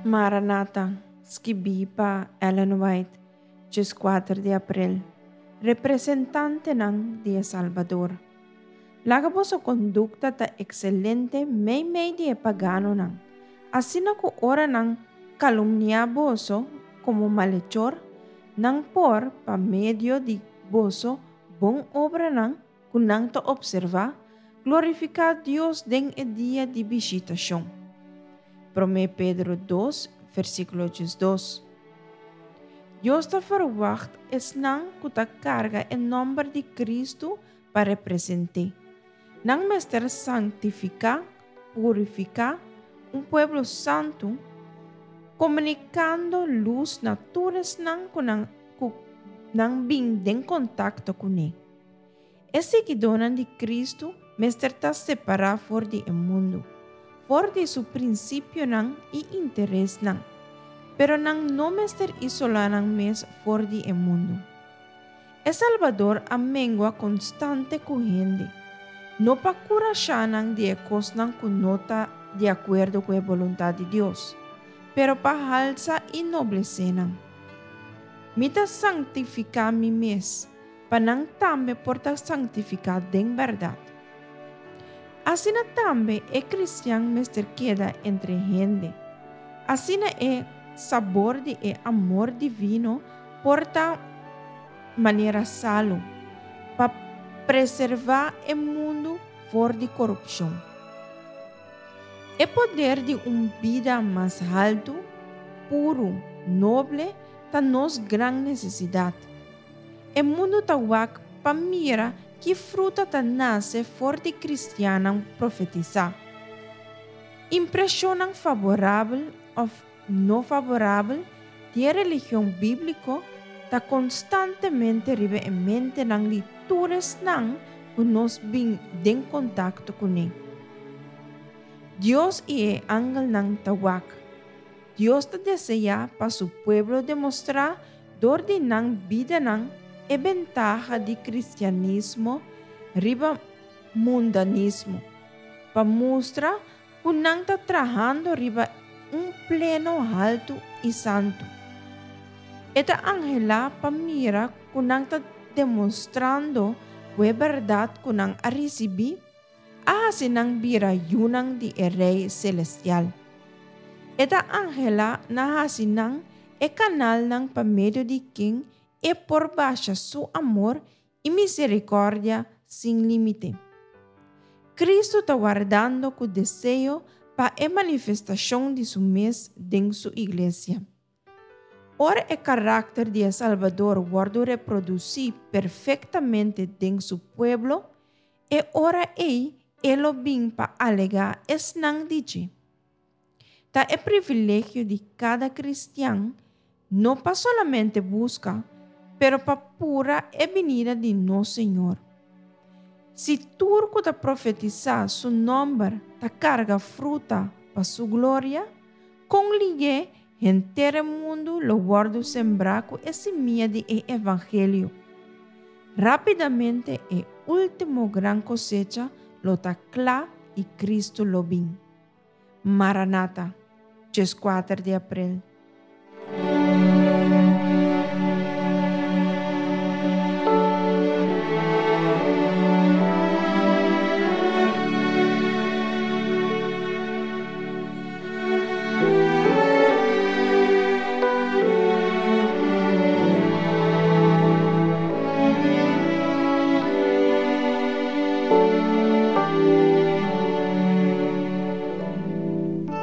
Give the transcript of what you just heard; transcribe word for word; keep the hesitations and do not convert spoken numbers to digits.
Maranata, skibí pa Ellen White, dieskuater di aprel. Representantenan di e Salbador. Laga boso kondukta ta ekselente meimei di e paganonan, asina ku ora nan kalumniá boso komo malechor, nan por, pa medio di boso bon obranan ku nan ta opservá, glorifiká Dios den e dia di bishitashon. Promé Pedro dos, versíkulo diesdos. Dios ta ferwagt esnan ku ta karga e nòmber di Kristu pa represent'é. Nan mester santifiká, purifiká, un pueblo santu, komunikando lus na tur esnan ku nan ku nan bin den kontakto kuné. E siguidónan di Kristu mester ta separá for di e mundu, for di su prinsipionan i interesnan, pero nan no mester isolá nan mes for di e mundu. E Salbador a mengua konstante ku hende, no pa kurashá nan di e kosnan ku no ta di akuerdo ku e boluntat di Dios, pero pa halsa i noblesé nan. Mi ta sanktifiká mi mes, pa nan tambe por ta sanktifiká den bèrdat. Asina tambe e kristian mester keda entre hende. Asina e sabor di e amor divino por ta manera salu, pa preservá e mundu for di korupshon. E poder di un bida mas haltu, puru, noble ta nos gran nesesidat. E mundu ta wak pa mira ki fruta ta nase for di kristiannan profetisá. Impreshonnan faborabel òf no faborabel di e religion bíbliko ta konstantemente riba e mentenan di tur esnan ku nos bin den kontakto kuné. Dios i e angelnan ta wak. Dios ta deseá pa su pueblo demostrá dor di nan bidanan e bentaha di kristianismo riba mundanismo, pa mustra ku nan ta trahando riba un pleno haltu i santu. E ta anhelá pa mira ku nan ta demostrando ku e bèrdat ku nan a risibí a hasi nan bira yunan di e Rei selestial. E ta anhelá na hasi nan e kanalnan pa medio di ken e por basha su amor i miserikòrdia sin límite. Kristu ta wardando ku deseo pa e manifestashon di su mes den su iglesia. Ora e karakter di e Salbador wòrdu reprodusí perfektamente den su pueblo, e ora ei e lo bin pa alegá esnan di dje. Ta e privilegio di kada kristian no pa solamente buska, pero pa pura e binida di nos Señor. Si tur ku ta profetisá su nòmber ta karga fruta pa su gloria, kon lihé henter e mundu lo wòrdu sembrá ku e simia di e evangelio. Rápidamente e último gran kosecha lo ta kla i Kristu lo bin. Maranata, dieskuater di aprel.